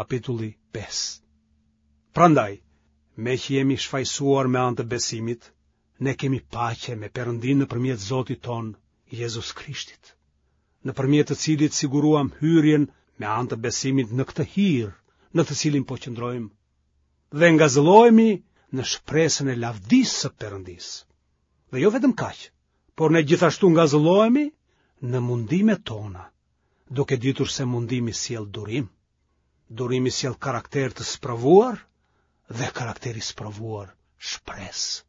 Kapitulli 5. Prandaj, meqë jemi shfajësuar me anë të besimit, ne kemi paqe me Perëndinë nëpërmjet Zotit tonë, Jezus Krishtit, nëpërmjet të cilit siguruam hyrjen me anë të besimit në këtë hir, në të cilin po qëndrojmë, dhe ngazëllohemi në shpresën e lavdisë së Perëndisë. Dhe jo vetëm kaq, por ne gjithashtu ngazëllohemi në mundimet tona, duke ditur se mundimi sjell durim. Durimi sjell karakter të sprovuar dhe karakteri i sprovuar shpresë.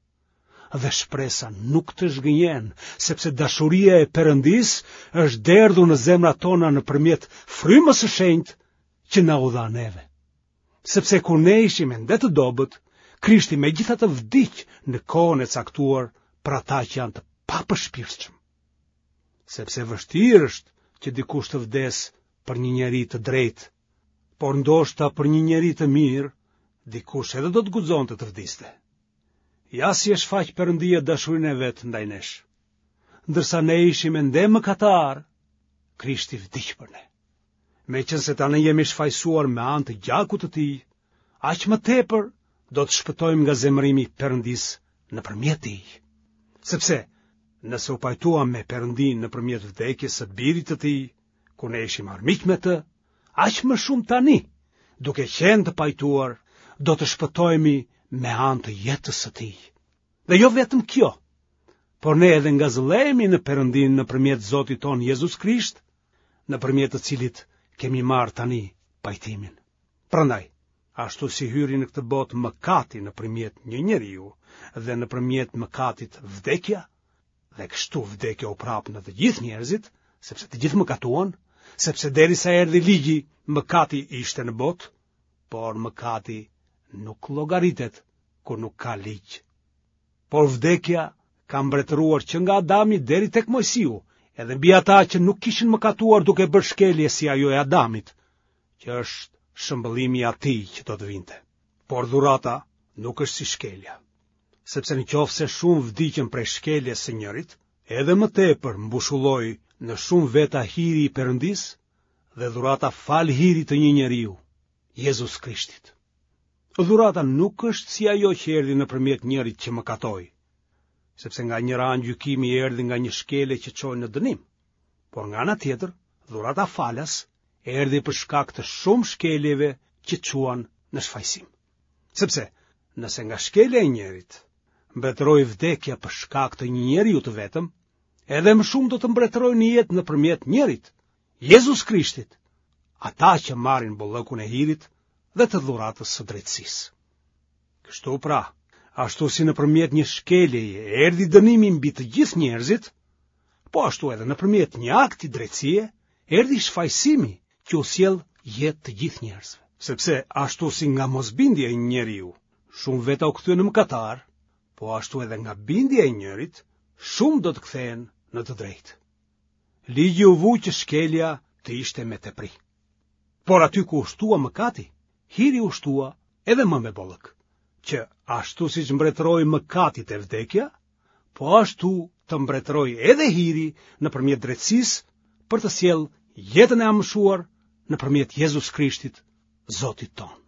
Dhe shpresa nuk të zhgënjen, sepse dashuria e Perëndisë është derdhur në zemrat tona nëpërmjet frymës së shenjtë që na u dha neve. Sepse kur ne ishim ende të dobët, Krishti megjithatë vdiq në kohën e caktuar për ata që janë të papërshpirtshëm. Sepse vështirë është që dikush të vdesë për një njeri të drejtë, por ndoshta për një njeri të mirë, dikush edhe do të guxonte të vdiste. Ja si e shfaq Perëndia dashurinë e vet ndaj nesh. Ndërsa ne ishim ende mëkatarë, Krishti vdiq për ne. Meqenëse tani jemi shfajësuar me anë të gjakut të tij, aq më tepër do të shpëtojmë nga zemërimi i Perëndisë nëpërmjet tij. Sepse, nëse u pajtuam me Perëndinë nëpërmjet vdekjes së birit të tij, kur ne ishim armiq me të, aq më shumë tani, duke qenë të pajtuar, do të shpëtohemi me anë të jetës së tij. Dhe jo vetëm kjo, por ne edhe ngazëllehemi në Perëndinë nëpërmjet Zotit tonë Jezus Krisht, nëpërmjet të cilit kemi marrë tani pajtimin. Prandaj, ashtu si hyri në këtë botë mëkati nëpërmjet një njeriu dhe nëpërmjet mëkatit vdekja, dhe kështu vdekja u përhap në të gjithë njerëzit, sepse të gjithë mëkatuan, sepse derisa erdhi ligji, mëkati ishte në botë, por mëkati nuk llogaritet kur nuk ka ligj. Por vdekja ka mbretëruar që nga Adami deri tek Moisiu, edhe mbi ata që nuk kishin mëkatuar duke bërë shkelje si ajo e Adamit, që është shëmbëllimi i atij që do të vinte. Por dhurata nuk është si shkelja. Sepse në qoftë se shumë vdiqën prej shkeljes së njërit, edhe më tepër mbushulloi në shumë veta hiri i Perëndisë dhe dhurata falë hirit të një njeriu, Jezus Krishtit. Dhurata nuk është si ajo që erdhi nëpërmjet njërit që mëkatoi, sepse nga njëra anë gjykimi erdhi nga një shkelje që çoi në dënim, por nga ana tjetër, dhurata falas erdhi për shkak të shumë shkeljeve që çuan në shfajësim. Sepse, nëse nga shkelja e njërit, mbretëroi vdekja për shkak të një njeriu të vetëm, edhe më shumë do të mbretërojë në jetë nëpërmjet njërit, Jezus Krishtit, ata që marrin bollëkun e hirit dhe të dhuratës së drejtësisë. Kështu pra, ashtu si nëpërmjet një shkeljeje erdhi dënimi mbi të gjithë njerëzit, po ashtu edhe nëpërmjet një akti drejtësie erdhi shfajësimi që u sjell jetë të gjithë njerëzve. Sepse ashtu si nga mosbindja e një njeriu, shumë veta u kthyen në mëkatarë, po ashtu edhe nga bindja e njërit, shumë do të kthehen në të drejtë. Ligji u vu që shkelja të ishte me tepri. Por aty ku u shtua mëkati, hiri u shtua edhe më me bollëk, që ashtu siç mbretëroi mëkati te vdekja, po ashtu të mbretërojë edhe hiri nëpërmjet drejtësisë për të sjellë jetën e amshuar nëpërmjet Jezus Krishtit, Zotit tonë.